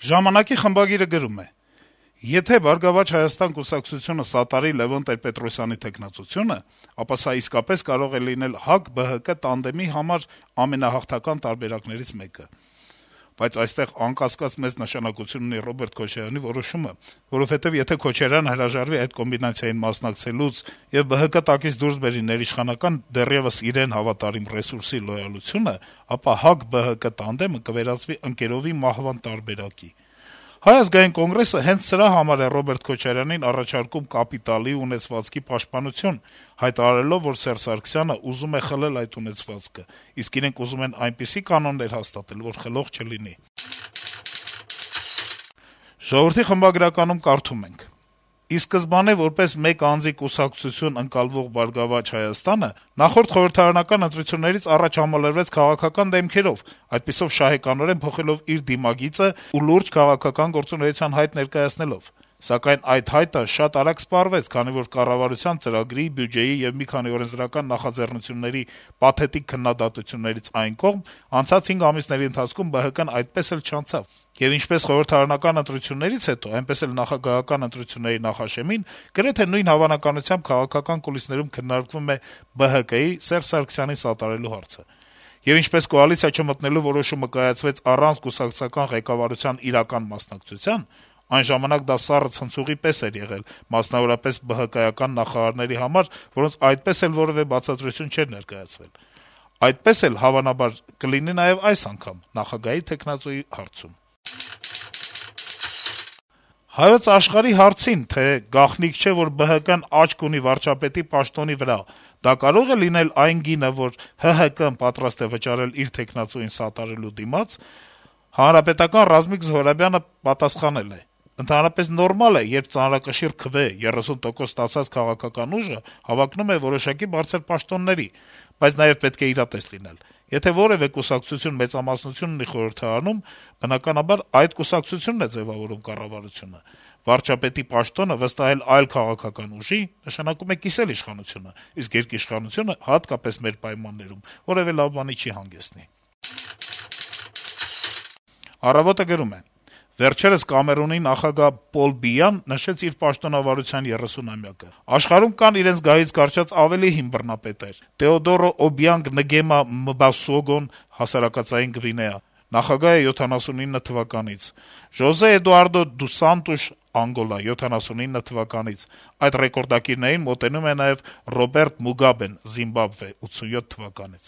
Ժամանակի խմբագիրը գրում է. - «Եթե «Բարգավաճ Հայաստան» կուսակցությունը սատարի Լեւոն Տեր-Պետրոսյանի թեկնածությունը, ապա սա իսկապես կարող է լինել ՀԱԿ-ԲՀԿ տանդեմի համար ամենահաղթական տարբերակներից մեկը: Բայց այստեղ անկասկած մեծ նշանակություն ունի Ռոբերտ Քոչարյանի որոշումը, որովհետեւ եթե Քոչարյանը հրաժարվի այդ կոմբինացիային մասնակցելուց եւ ԲՀԿ տակից դուրս բերի ներիշխանական, դեռեւս իրեն հավատարիմ ռեսուրսի լոյալությունը, ապա ՀԱԿ-ԲՀԿ տանդեմը կվերածվի ընկերովի մահվան տարբերակի: Հայ ազգային կոնգրեսը հենց սրա համար է Ռոբերտ Քոչարյանին առաջարկում կապիտալի ու ունեցվածքի պաշտպանություն, հայտարարելով, որ Սերժ Սարգսյանը ուզում է խլել այդ ունեցվածքը, իսկ իրենք ուզում են այնպիսի կանոններ հաստատել, որ խլող չլինի»: «Ժողովուրդ» օրաթերթի խմբագրականում կարդում ենք. - «Ի սկզբանե որպես մեկ անձի կուսակցություն ընկալվող «Բարգավաճ Հայաստանը» նախորդ խորհրդարանական ընտրություններից առաջ համալրվեց քաղաքական դեմքերով, այդպիսով շահեկանորեն փոխելով իր դիմագիծը ու լուրջ քաղաքական գործունեության հայտ ներկայացնելով: Սակայն այդ հայտը շատ արագ սպառվեց, քանի որ կառավարության ծրագրի, բյուջեի եւ մի քանի օրենսդրական նախաձեռնությունների պաթետիկ քննադատություններից այն կողմ անցած 5 ամիսների ընթացքում ԲՀԿ-ն այդպես էլ չանցավ: Եվ ինչպես խորհրդարանական ընտրություններից հետո, այնպես էլ նախագահական ընտրությունների նախաշեմին գրեթե նույն հավանականությամբ քաղաքական կուլիսներում քննարկվում է ԲՀԿ-ի Սերժ Սարգսյանին սատարելու հարցը: Եվ ինչպես կոալիցիա չմտնելու որոշումը կայացվեց առանց կուսակցական ղեկավարության իրական մասնակցության, այն ժամանակ դա սառը ցնցուղի պես էր եղել, մասնավորապես ԲՀԿ-ական նախարարների համար, որոնց այդպես էլ որեւէ բացատրություն չէր ներկայացվել: Այդպես էլ, հավանաբար, կլինի նաեւ այս անգամ նախագահի թեկնածուի հարցում»: «Հայոց Աշխարհ»-ի հարցին, թե գաղտնիք չէ, որ ԲՀԿ-ն աչք ունի վարչապետի պաշտոնի վրա, դա կարո՞ղ է լինել այն գինը, որ ՀՀԿ-ն պատրաստ է վճարել իր թեկնածուին սատարելու դիմաց, Ռազմիկ Զոհրաբյանը պատասխանել է. - «Ընդհանրապես նորմալ է, երբ ծանրակշիռ քվե, 30% ստացած քաղաքական ուժը հավակնում է որոշակի բարձր պաշտոնների, բայց նաեւ պետք է իրատես լինել: Եթե որեւէ կուսակցություն մեծամասնություն ունի խորհրդարանում, բնականաբար այդ կուսակցությունն է ձեւավորում կառավարությունը: Վարչապետի պաշտոնը վստահել այլ քաղաքական ուժի, նշանակում է կիսել իշխանությունը, իսկ երկիշխանությունը, հատկապես մեր պայմաններում, որեւէ լավ բանի չի հանգեցնի»: «Առավոտ»-ը գրում է. - «Վերջերս Կամերունի նախագահ Պոլ Բիյան նշեց իր պաշտոնավարության 30-ամյակը: Աշխարհում կան իրենց գահից կարճած ավելի հին բռնապետներ` Տեոդորո Օբիանգ Նգեմա Մբասոգոն (հասարակածային Գվինեա) նախագահ է 79 թվականից, Ժոզե Էդուարդո դուս Սանտուշ (Անգոլա) 79 թվականից: Այդ ռեկորդակիրներին մոտենում է նաեւ Ռոբերտ Մուգաբեն (Զիմբաբվե) 87 թվականից: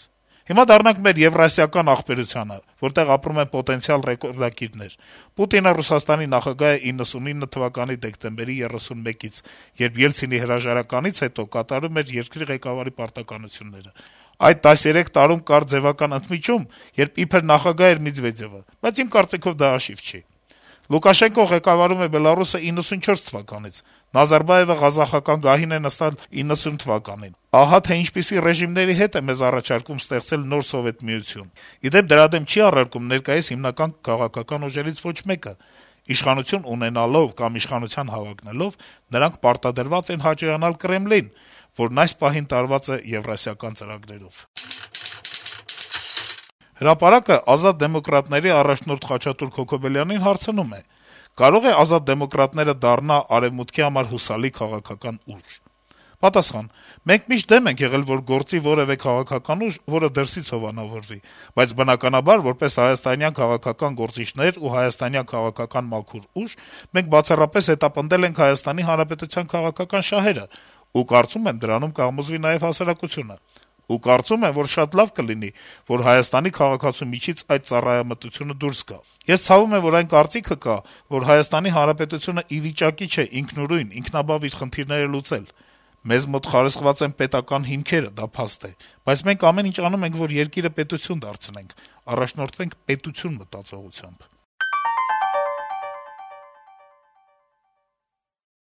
Հիմա դառնանք մեր եվրասիական ախպերությանը, որտեղ ապրում են պոտենցիալ ռեկորդակիրներ: Պուտինը Ռուսաստանի նախագահ է 99 թվականի դեկտեմբերի 31-ից, երբ Ելցինի հրաժարականից հետո կատարում էր երկրի ղեկավարի պարտականությունները: Այդ 13 տարում կար ձեւական ընդմիջում, երբ իբր նախագահ էր Մեդվեդեւը, բայց իմ կարծիքով դա հաշիվ չի: Լուկաշենկոն ղեկավարում է Բելառուսը 94 թվականից, Նազարբաեւը ղազախական գահին է նստած 90 թվականին: Ահա թե ինչպիսի ռեժիմների հետ է մեզ առաջարկում ստեղծել նոր Սովետ Միություն: Ի դեպ, դրա դեմ չի առարկում ներկայիս հիմնական քաղաքական ուժերից ոչ մեկը: Իշխանություն ունենալով կամ իշխանության հավակնելով` նրանք պարտադրված են հաճոյանալ Կրեմլին, որն այս պահին տարված է եվրասիական ծրագրերով»: «Հրապարակ»-ը Ազատ դեմոկրատների առաջնորդ Խաչատուր Քոքոբելյանին հարցնում է. - «Կարո՞ղ է Ազատ դեմոկրատները դառնա Արեւմուտքի համար հուսալի քաղաքական ուժ»: Պատասխան. - «Մենք միշտ դեմ ենք եղել, որ գործի որեւէ քաղաքական ուժ, որը դրսից հովանավորվի, բայց բնականաբար, որպես հայաստանյան քաղաքական գործիչներ ու հայաստանյան քաղաքական մաքուր ուժ, մենք բացառապես հետապնդել ենք Հայաստանի Հանրապետության քաղաքական շահերը ու կարծում եմ, դրանում կհամոզվի նաեւ հասարակությունը: Ու կարծում եմ, որ շատ լավ կլինի, որ Հայաստանի քաղաքացու միջից այդ ծառայամտությունը դուրս գա: Ես ցավում եմ, որ այն կարծիքը կա, որ Հայաստանի Հանրապետությունը ի վիճակի չէ ինքնուրույն, ինքնաբավ իր խնդիրները լուծել: Մեզ մոտ խարսխված են պետական հիմքերը, դա փաստ է: Բայց մենք ամեն ինչ անում ենք, որ երկիրը պետություն դարձնենք, առաջնորդվենք պետություն մտածողությամբ»: